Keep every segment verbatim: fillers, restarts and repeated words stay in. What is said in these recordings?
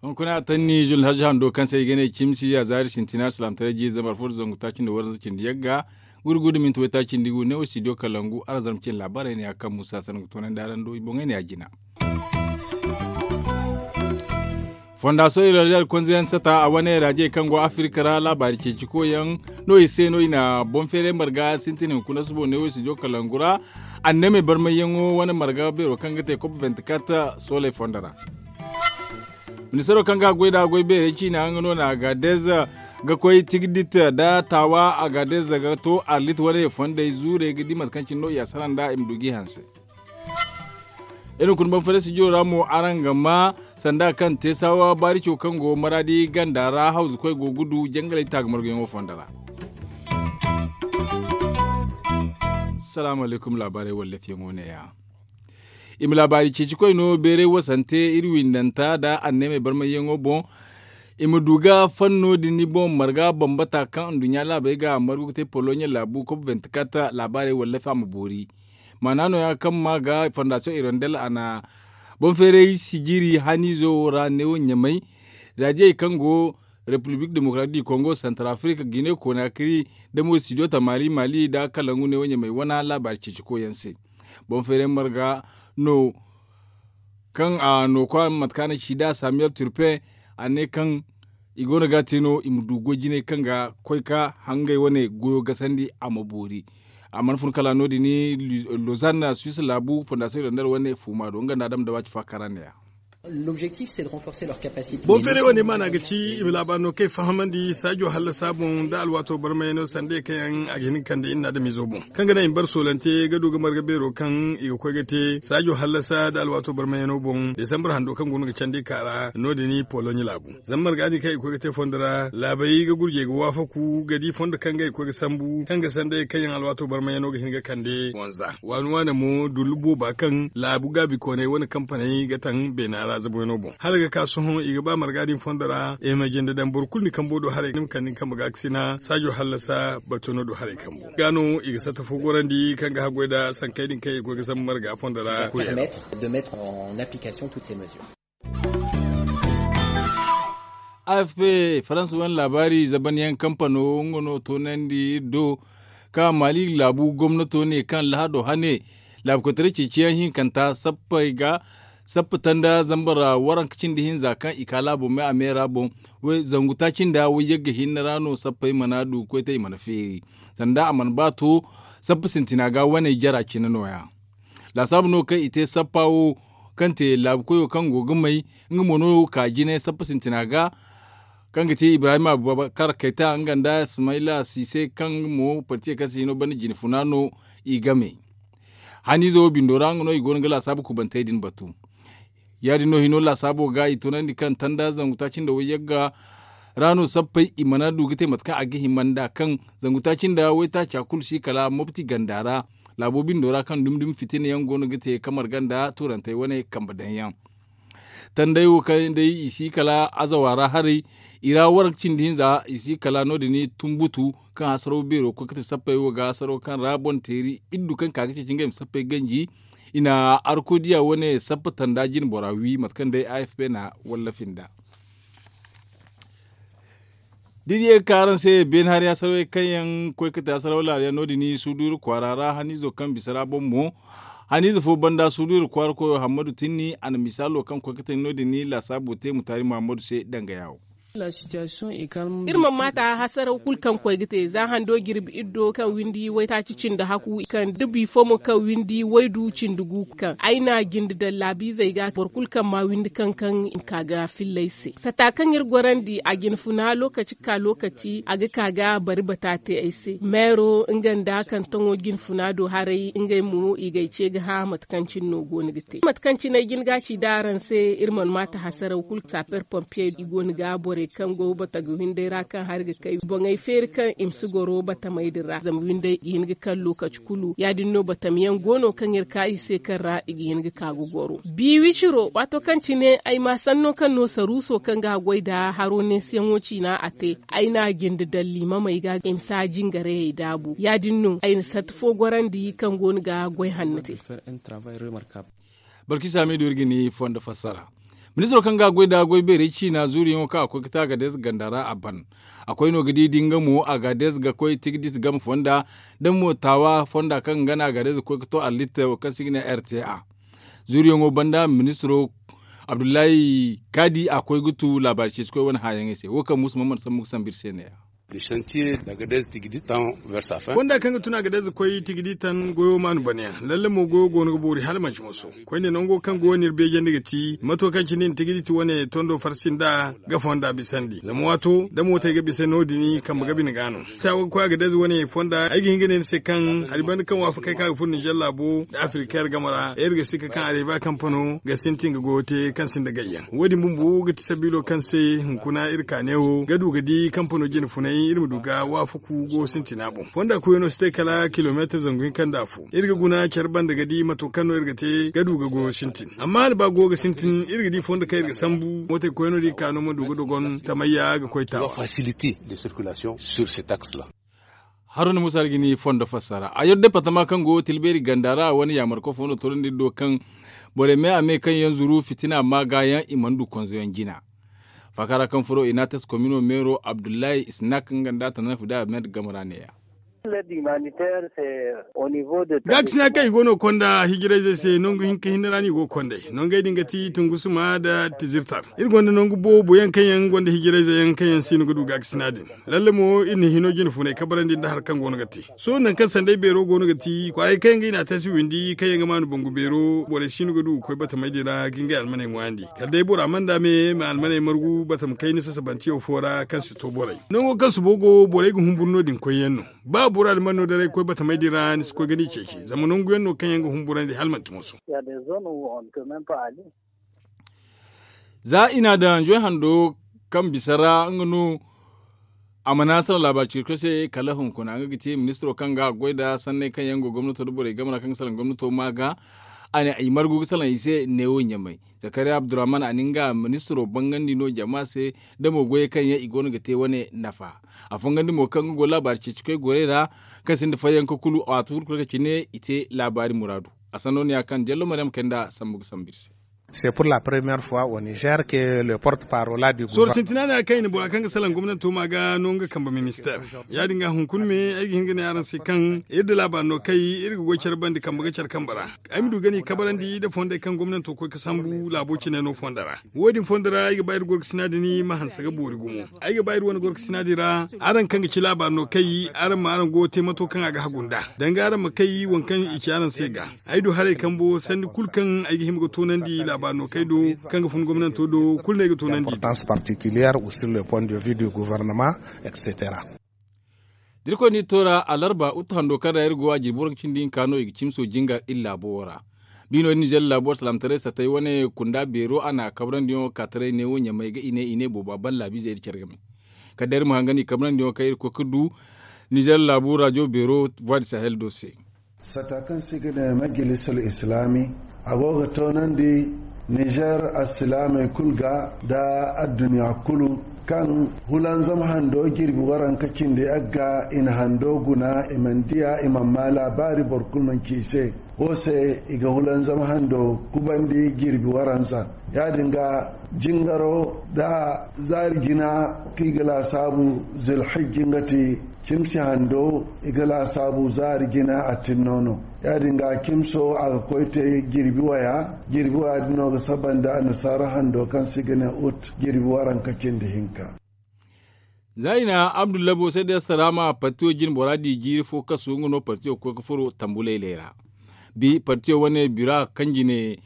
Hunkuna a tanni jul hajji hando kaŋ se i ga ne cimsi a zaari sintina salaamtaray jiiri zambar fo da zangu taaci nda waranza cindi yagga guri guri da minti waytaaci nda igu ne wo studio kalangu arazarma cine laabaarey ne ya kaŋ musa sangu toonandi araŋ do i boŋey ne ya jina. Fondasiyoŋ irondel konze yaŋ sata a wane raajey kaŋ go afirika ra laabaari ceeci koyyaŋ no i se no i na boŋ feeray marga sintin hunkuna subo ne wo i si jo kalangu ra. Annamey barmayyaŋo wane marga beero kaŋ ga te kop vinti kat sooley fondo ra. Ministaro kaŋ ga goy da goy beerey ciina nga no na agadez ga koy tigdit da taawa agadez ga to arlit wane fondey zuurey ga di mate kaŋ cine no i a sara nd'a i ma du g'i hanse. Iri hunkuna banfare studio ra mo araŋ ga ma sanda kaŋ te saawa baarico kaŋ go maraadi ganda ra hawzukoy go ga du jangaley taaga marguyaŋo fondo ra. Salaamu alaykum laabaarey wallafiyaŋo ne- ya. I ma laabaari ceeci koy no beeray wasante iri windanta nda anneemey barmayyaŋo boŋ. I ma du ga fanno din boŋ marga bambata kaŋ nduɲɲa laabey ga margu ga te poloɲe laabu kop vinti kat laabaarey wallafi a ma boori. Maana nooya kaŋ ma ga fondasiyoŋ irondel a na boŋ feeray sijiri haniizo wo ra neewo ɲamay. Raadiyey kaŋ go repiblik demokaraatik di kongo santar afirika gine koona kiri da mo studio tamali mali nda kalangu neewo ɲamay wane laabaari ceeci koyyaŋ se. Boŋ feeray marga no kaŋ a nookwa mate kaŋ a na ci nd'a samiyel turpe a ne kaŋ i go no ga a te no i ma du goy jinay kaŋ ga koy ka hangey wane goyo gasandi a ma boori. A mana fun kala no- din lozanne suwis laabu fondasiyoŋ irondel wane fuuma do nga nda adama da waaci faakara ne- ya. Boŋ feeray wane maana ga ci i ma laabaari no kaŋ i fahamandi saajo hallasa boŋ nda alwaato barmayano sanda ye kaŋ yaŋ a ga hin ga kande iri na adamizo boŋ kaŋ ga naŋ i ma bare soolante ga du ga marga beero kaŋ i ga koy ga te saajo hallasa nda alwaato barmayano boŋ desambar hando kaŋ go no ga candi ka ra no- din poloɲe laabu. Zama marga din kaŋ i ga koy ga te fondo ra laabey ga gurjey ga waafaku ga di fondo kaŋ ga i ga koy ga sambu kaŋ ga sanda ye kaŋ yaŋ alwaato barmayano ga hin ga kande wanza waani waani mo dullu booba kaŋ laabu gaabi koonay wane kampaney ga taŋ beena ra zabuyaŋo boŋ hala ga ka sohõ i ga ba marga din fondo ra i ma jinde daŋ boro kulu ni kambo do haray ni ma kande ni kambe ga ga sina saajo hallasa batuno do haray kambo ga no i ga satta fo gorandi kaŋ ga haggoy nda sankey din kaŋ i ga koy ga sambu marga fondo ra koyey ra. Afp faransa wane laabaari zabanyaŋ kampano nga no toonandi iri do ka mali laabu gomnato ne kaŋ lahado hane laabu koytaray ceeciyaŋ hinkanta sappey ga sappa tanda zambar waranka cindi hinza kaŋ i ka laabo me a me ra boŋ zangu taaci nda wayyagga hinne ra no sappey mana du ga koy te i mana feeri sanda a mana ba to sappa sintina ga wane jara cine nooya. Laasaabu no kaŋ i te sappa wo kaŋ te laabu koyo kaŋ go ga may nga mo no ka jine sappa sintina ga kaŋ ga te ibrahim abubakar kayta nga nda sumayla sise kaŋ mo partiye kaŋ se hino banda jine funa no i game. Haniizo wo bindo ra nga no i go no ga laasaabu kubantey din batu. Ya- din no hino laasaabo ga i tunandi kaŋ tanda zangu taaci nda wayyagga ra no sappey i mana du ga te mate kaŋ a ga hima nda kaŋ zangu taaci nda waytaaca kulu si kala mopti ganda ra laabo bindo ra kaŋ dumi dumi fitina yaŋ go no ga te kamar ganda turantey wane kambe daŋ yaŋ. Tanday wo kaŋ day i si kala azawa ra haray i ra waranka cindi hinza i si kala no- din tumbutu kaŋ hasaraw beero koy ga te sappey wo ga hasaraw kaŋ ra boŋ teeri iddu kaŋ ka ga ceeci ngey ma sappey ganji. I na arko diya wane sappa tanda jine bora wi mate kaŋ day afp na wallafi nda. Da i ye ga ka araŋ se beene hari hasaraw kaŋ yaŋ koy ga te hasaraw laala yaŋ no- din suduuru kwaara ra haniizo kaŋ bisa ra boŋ mo haniize fo banda suduuru kwaara koyo hammadu tinni a na misaalo kaŋ koy ga te no- din laasaabo te mutaari muhammadu se danga yaawo. Iri mana maata hasaraw kulu kaŋ koy ga te za hando jirbi iddo kaŋ windi waytaaci cindi haku kaŋ da bifo mo kaŋ windi waydu cindi gu kaŋ ay na jinde daŋ laabiizey ga boro kulu kaŋ ma windi kaŋ kaŋ i ma ka ga filley se sata kaŋ iri gorandi a jine funa lookaci ga ka lookaci a ga ka ga bari bata te ay se meero nga nda kaŋ taŋo jine funa do haray ngey mo i g'ay ce ga hã mate kaŋ cine no go no ga te mate kaŋ cine ay jin ga ci da araŋ se iri mana maata hasaraw kulu saper pompier i go no ga borey Kaŋ go batagay windey ra kaŋ hari ga kay boŋey feeri kaŋ i ma si goro batamey din ra zama windey i ga hin ga kaŋ lokaci kulu ya- din no batam yaŋ go no kaŋ iri ka i se kaŋ ra i ga hin ga ka ga goro. Bi wiciro waato kaŋ cine ay ma sanno kaŋ no saruuso kaŋ ga a goy nda haro neesiyaŋo ciina a te ay n'a jinde daŋ liimamey ga i ma si a jingarayey daabu ya- din no ay na satti fo gorandi kaŋ go no ga goy hanno te. Barki saamiidu iri ga ni fondo fassara. Ministiro kaŋ ga a goy nda goy beerey ciina zuuriyaŋo kaŋ a koy ga te a ga deeza ganda ra a ban. A koy no ga di da nga mo a ga deeza ga koy tigdit game fonda da mo taawa fonda kaŋ nga no a ga deeza ga koy ga to allitta wo kaŋ se i ga ne r t a. Zuuriyaŋo banda ministiro abdullahi kaadi a koy ga tu laabaari ceeci koy wane hããyaŋey se wo kaŋ muusa mana sambu ga sambu iri se ne- ya. Fonda kaŋ ga tun a ga deeza koy tigidi tan goyo maanu banayaŋ lalle mo goyo go no ga boori hala manci moso. Koyne nango kaŋ go no iri beejandi ga ti mato kaŋ cine i na tigidi ti wane tondo farsi nd'a ga fonda bisandi zama waato da mootey ga bisa no- din kambe ga bine ga no. Taawa ga koy a ga deeza wane fonda ay ga hin ga ne ni se kaŋ hari banda kaŋ waafakey kaŋ a ga furo ninzeer laabo nda afirikeer game ra iri ga sikka kaŋ areba kampano ga sintin ga goyo te kaŋ sinda gayyaŋ wo- din bumbo ga ti sabiilo kaŋ se hunkuna iri ka neewo ga du ga di kampano jine funay iri ma du ga waafaku go sintina boŋ. Fonda koyano si te kala kilomeetar zangu hinka nda afo iri ga guna care banda ga di mato kaŋ no iri ga te ga du ga goyo sintin amma hala ba goyo ga sintin iri ga di fondo kaŋ iri ga sambu mootey koyano da i ka no ma du ga dogon tamayya ga koy taawa. Haruna muusa algini fondo fassara a yar departama kaŋ go tilbeeri ganda ra a wane yaamar koy fondo toorandi iri do kaŋ borey me a me kaŋ yaŋ zuru fitina maagaayaŋ i mana du konzoyaŋ jina. Faaka ra kaŋ furo i n'a tas komino meero abdullahi isnak nga nda a tana fuda ahmed game ra neeya. Gaakasina kaŋ i go no konda hijirayzey se nangu hinka hinne ra no i go ga konday nongey din ga ti tungusuma nda tizirtar. Iri gonda nangu boobo yaŋ kaŋ yaŋ gonda hijirayzey yaŋ kaŋ yaŋ siino ga du gaakasina din. Lalle mo iri na hino jine funay kabarandi nda hari kaŋ go no ga te sohõ nangu kaŋ sanday beero go no ga ti kwaarey kaŋ yaŋ ga i n'a tasi windi kaŋ yaŋ ga maanu bangu beero borey siino ga du ga koy batamey din ra ga ngey almaney ŋwaayandi kala day bora mana nda me ma almaney margu batama kayna sasabantiyo fo ra kaŋ si to borey. Nango kaŋ subo go borey ga humburu no- din koyyaŋ no. Ba boro alman no daray koy batamey din ra ni si koy ga ni ceeci zama nangu yaŋ no kaŋ yaŋ ga humburandi hala manti moso. Za i n'a daŋ joy hando kaŋ bisa ra nga no a mana salaŋ laabaari cikoy se kala hunkuna nga ga te ministiro kaŋ ga a goy nda sanney kaŋ yaŋ go gomnato nda borey game ra kaŋ ga salaŋ gomnato ma ga. A ne i margu ga salaŋ i se neewo ɲamay. Zakariya abdurrahman a na nga ministiro bangandi no jama se nda mo goyey kaŋ yaŋ i go no ga te wane nafa. A fongandi mo kaŋ nga go laabaari ceeci koy gorey ra kaŋ sinda fayyanka kulu a waati kulu kaŋ cine i te laabaari muraadu. A sanno no ya kaŋ jallo maryam kay nda sambu ga sambu iri se. Soro sintina ne a kaŋ i na bora kaŋ ga salaŋ gomnanto ma ga no nga kambe ministeer. Ya- din ga hunkuna me ay ga hin ga ne araŋ se kaŋ iri da laabaari no kay iri ga goy care bande kambe ga care kambe ra. Ay ma du ga ni kabarandi nda fondey kaŋ gomnanto koy ga sambu laabo cine no fondo ra. Wo- din fondo ra ay ga ba iri gorkasina din ma hanse ga boori gumo. Ay ga ba iri wane gorkasina din ra araŋ kaŋ ga ci laabaari no kay araŋ ma araŋ go ga te mato kaŋ a ga hagu nd'a danga araŋ ma kay waŋ kaŋ i ci araŋ se ga. Ay du haray kambo sanni kulu kaŋ ay ga hima ga toonandi laabaari no kay do kaŋ ga fun gomnanto do kulu no ay ga toonandi. Da irkoy n'i toora alarba utu hando kaŋ ra iri go a jirbi waranka cindi hinka no i ga cimso jingar iri laabo wo ra. Biino iri nizer laabo ra salaamataray satay wane kunda beero a na a kabarandiyaŋo ka taray neewo ɲamay ga i ne i ne boobo a ban laabiizey iri care game. Kala day iri ma hangan i kabarandiyaŋo kaŋ iri koy ga du nizer laabu rajo beero voix du sahel do se. Sata kaŋ se i ga ne majalisal islaami a go ga toonandi nizer alsilaamey kulu ga nda adduɲɲa kulu kaŋ hulanzam hando jirbi waranka cindi agga i na hando guna i mana diya i mana maa laabaari boro kulu mana ci i se. Wo se i ga hulanzam hando kubandi jirbi waranza. Ya- din ga jingaro nda zaari jina kaŋ i ga laasaabu zilhijji nga ti cimsi hando i ga laasaabu zaari jina a tinno no. Ya- din ga cimso a ga koy te jirbi waya jirbi waya din no ga saba nda annasaara hando kaŋ se i ga ne ut jirbi waranka cindi hinka. Za i na abdullabo se da yastarama partiyo jine bora di jiiri fo kasu nga no partiyo ga koy ga furo tambu laylay ra. Bi partiyo wane bira kaŋ jine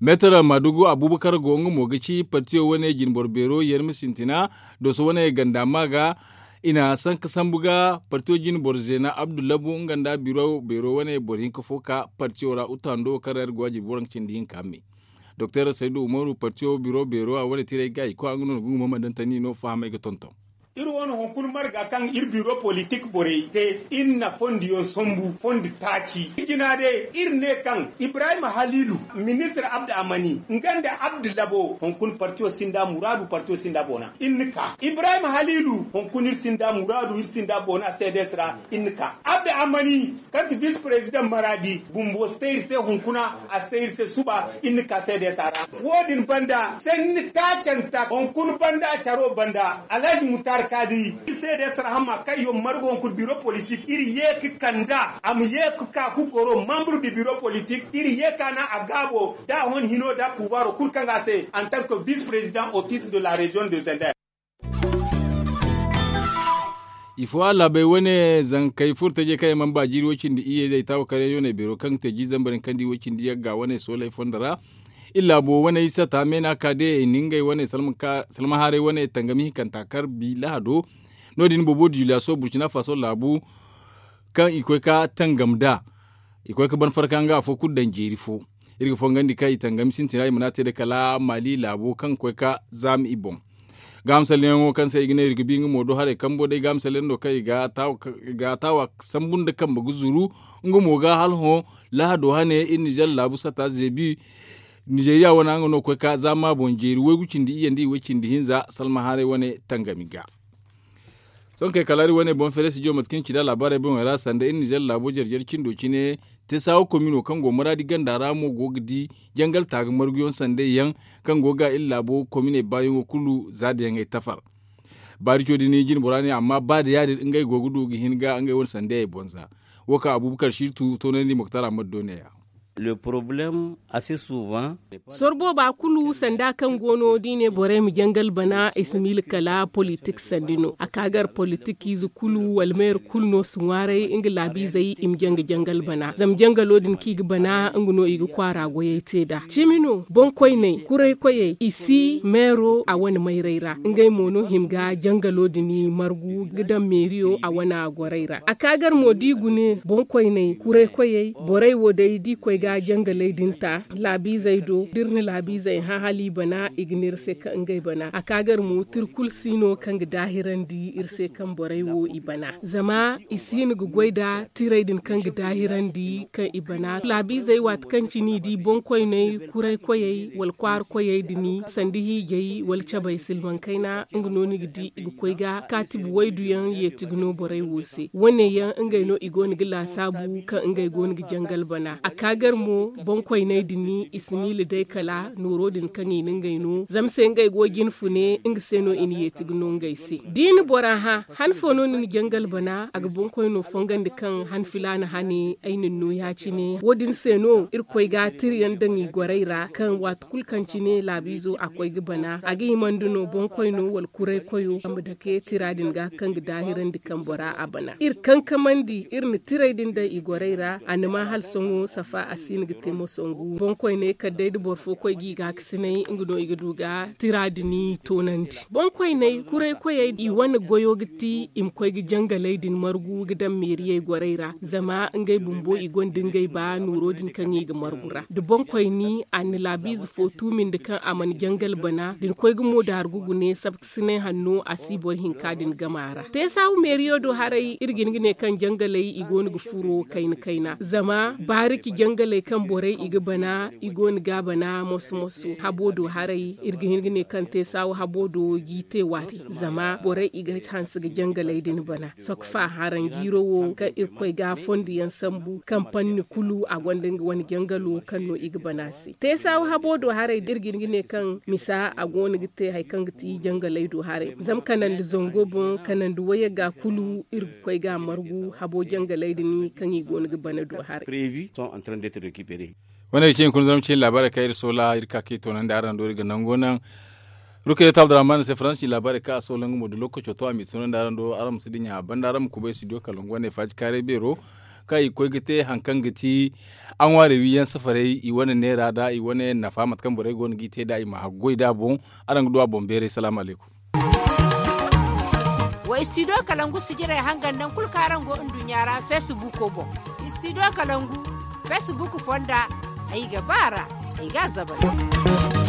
meetara maadugu abubakar go nga mo ga ci partiyo wane jine boro beero yarmi sintina dooso wane ganda ma ga. I na sanka sambu ga partiyo jine boro zeena abdullabo nga nda biro beero wane boro hinka fo ka partiyo ra utu hando kaŋ ra iri go a jirbi waranka cindi hinka me. Doktor saydu umaru partiyo biro beero a wane tiray ga i koy nga no na gunguma ma daŋ tani no fahamay ga tonton. Iri wane hunkuna marga kaŋ iri biro politik borey te, iri na fondiyaŋ sambu fondi taaci. Jina day iri ne kaŋ ibrahim haliilu, ministir abdu amani nga nda abdu labo hunkuna partiyo sinda muraadu partiyo sinda boona. Iri na ka ibrahim haliilu hunkuna iri sinda muraadu iri sinda boona seedes ra. Iri na ka abdu amani kaŋ ti bisi perezidaŋ maraadi bumbo si te iri se hunkuna, a si te iri se suba. Iri na ka seedes a ra. Wo- din banda sanni taacanta hunkuna banda caro banda alhaji mutar kaadi iri seedes rahama kaŋ yaŋ marga hunkuna biro politik iri ye ga kand'a a ma ye ga ka ga goro mambur da biro politik iri ye ga ka naŋ a gaabo da a hon hino da puwaro kulu kaŋ ga a se en tant que bisi perezidaŋ au titre de la reziyoŋ de zender. Ifo a laabey wane zankey furo tajey kaŋ yaŋ mana ba jiiri way-cindi iyye zay taawa karyaŋ yooney beero kaŋ ga te jiiri zambar hinka nda way-cindi yagga wane sooley fondo ra. Iri laabo wane isa taame no a ka day i na ngey wane salma haaray wane tangami hinkanta kar bi lahado. No- din boobo juliyaso burcina faso laabu kaŋ i koy ga tangam nd'a. I koy ga ban farka nga afo kulu daŋ jeeri fo. Iri ga fongandi kaŋ i tangami sintina i mana te day kala maali laabo kaŋ ga koy ga zaama i boŋ. Gaaham salleyaŋo kaŋ se i ga ne iri ga bi nga mo do haray kambo day gaaham salleyaŋ no kaŋ i ga taawa sambu nda kambe ga zuru. Nga mo ga hala hõ lahado hane iri nizer laabu sata zeebi. Nizeriya wane nga no ga koy ga zaama boŋ jeeri waygu cindi iyye nda i way cindi hinza salma haaray wane tangami ga. Sohõ kay kala iri wane boŋ feere studio mate kaŋ iri ci nd'a laabaarey boŋey ra sanda iri nizer laabo jare jare cindo cine. Te saawa komino kaŋ go maraadi ganda ra mo go ga di jangal taaga marguyaŋ sandey yaŋ kaŋ go ga iri laabo kominey baayaŋo kulu za da yaŋ ay tafar. Baarico din jine bora ne amma ba da ya- din ngey go ga du ga hin ga ngey wane sandey ay boŋ za. Wo kaŋ abubakar sirtu toonandi moktar ammadu do ne- ya. Soro booba kulu sanda kaŋ go no da i ne borey ma jangal bana i si miila kala politik sandi no a ka gar politikiize kulu wala meere kulu no si ŋwaaray nga laabiizey i ma jaŋ ga jangal bana zama jangalo din kaŋ i ga bana nga no i ga kwaara goyey te nd'a cimi no boŋkoyney kuraykoyey i si meero a wane mayray ra ngey mo no hima ga jangalo din margu ga daŋ meeriyo a wane goray ra a ka gar mo da i gune boŋkoyney kuraykoyey borey wo day da i koy ga jangaley din ta laabiizey do da iri na laabiizey hã hala i bana i ga ne iri se kaŋ ngey bana a ka gar mo tira kulu si no kaŋ ga daahirandi iri se kaŋ borey wo i bana zama i si hin ga goy nda tirey din kaŋ ga daahirandi kaŋ i bana laabiizey waati kaŋ cine i di boŋkoyney kuraykoyey wala kwaarakoyey din sanda hiijay wala cabay silmaŋ kayna nga no ni ga di i ga koy ga kaatibi waydu yaŋ yeeti ga no borey wo se wane yaŋ ngey no i go no ga laasaabu kaŋ ngey go no ga jangal bana a ka gar mo boŋkoyney din i si miila day kala nooro din kaŋ i na ngey no zama se ngey go jinfune nga se no i na yeeti ga no ngey se da i na bora hã han fo no ni na jangal bana a ga boŋkoyno fongandi kaŋ han filaana hane ay na ni no ya- cine wo- din se no iri koy ga tira yaŋ daŋ i gorey ra kaŋ waati kulu kaŋ cine laabiizo a koy ga bana a ga himandi no boŋkoyno wala kuraykoyo a ma dake tira din ga kaŋ ga daahirandi kaŋ bora a bana iri kankamandi iri na tirey din daŋ i gorey ra a na ma hala sohõ safa a si hin ga te moso ngu boŋkoyney kala day da boro fo koy ga i gaakasinay nga no i ga du ga tira din toonandi boŋkoyney kuraykoyey i wane goyo ga ti i ma koy ga jangaley din margu ga daŋ meeriyey gorey ra zama ngey bumbo i gonda ngey ba nooro din kaŋ i ga margu ra da boŋkoyni a na laabiize fo tuumi nda kaŋ a mana jangal bana da ni koy ga mo daargu gune sabkasinay hanno a si boro hinka din gama ra teesaawu meeriyo do haray iri ga hin ga ne kaŋ jangaley i go no ga furo kayna kayna zama baariki jangaley kaŋ borey i ga bana i go no ga a bana moso moso habo do haray iri ga hin ga ne kaŋ teesaawu habo do g'i te waati zama borey i ga hanse ga jangaley din bana sokfa haranjiiro wo kaŋ irkoy ga fondiyaŋ sambu kaŋ panni kulu a gonda nga wane jangalo kaŋ no i ga bana se teesaawu habo do haray da iri ga hin ga ne kaŋ misa a go no ga te hari kaŋ ga ti jangaley do haray zama kanandi zango boŋ kanandi wayagga kulu iri ga koy ga a margu habo jangaley din kaŋ i go no ga bana do haray. Wane ga cine kuna zarma cine laabaarey kaŋ iri soola iri ka ka i toonandi araŋ do iri ga nango naŋ. Rukayatu abdurrahman se faransi ci laabaarey kaŋ a soola nga mo da lookaco to a m'i toonandi araŋ do araŋ ma si dinya a banda araŋ ma kubay studio kalangu wane faaji kaaray beero kaŋ i ga koy ga te hari kaŋ ga ti a ŋwaari wiyaŋ safaray i wane neera nda i wane nafa mate kaŋ borey go no g'i te nd'a i ma haggoy nd'a boŋ. Araŋ ga du a boŋ beeray salaamu alaykum. Wa istidiyo kalangu sijirey hangan naŋ kulu kaŋ araŋ go nduɲɲa ra feesibuuko boŋ. Istidiyo kalangu feesibuuku fonda ay ga ba a ra. i ga a zabal.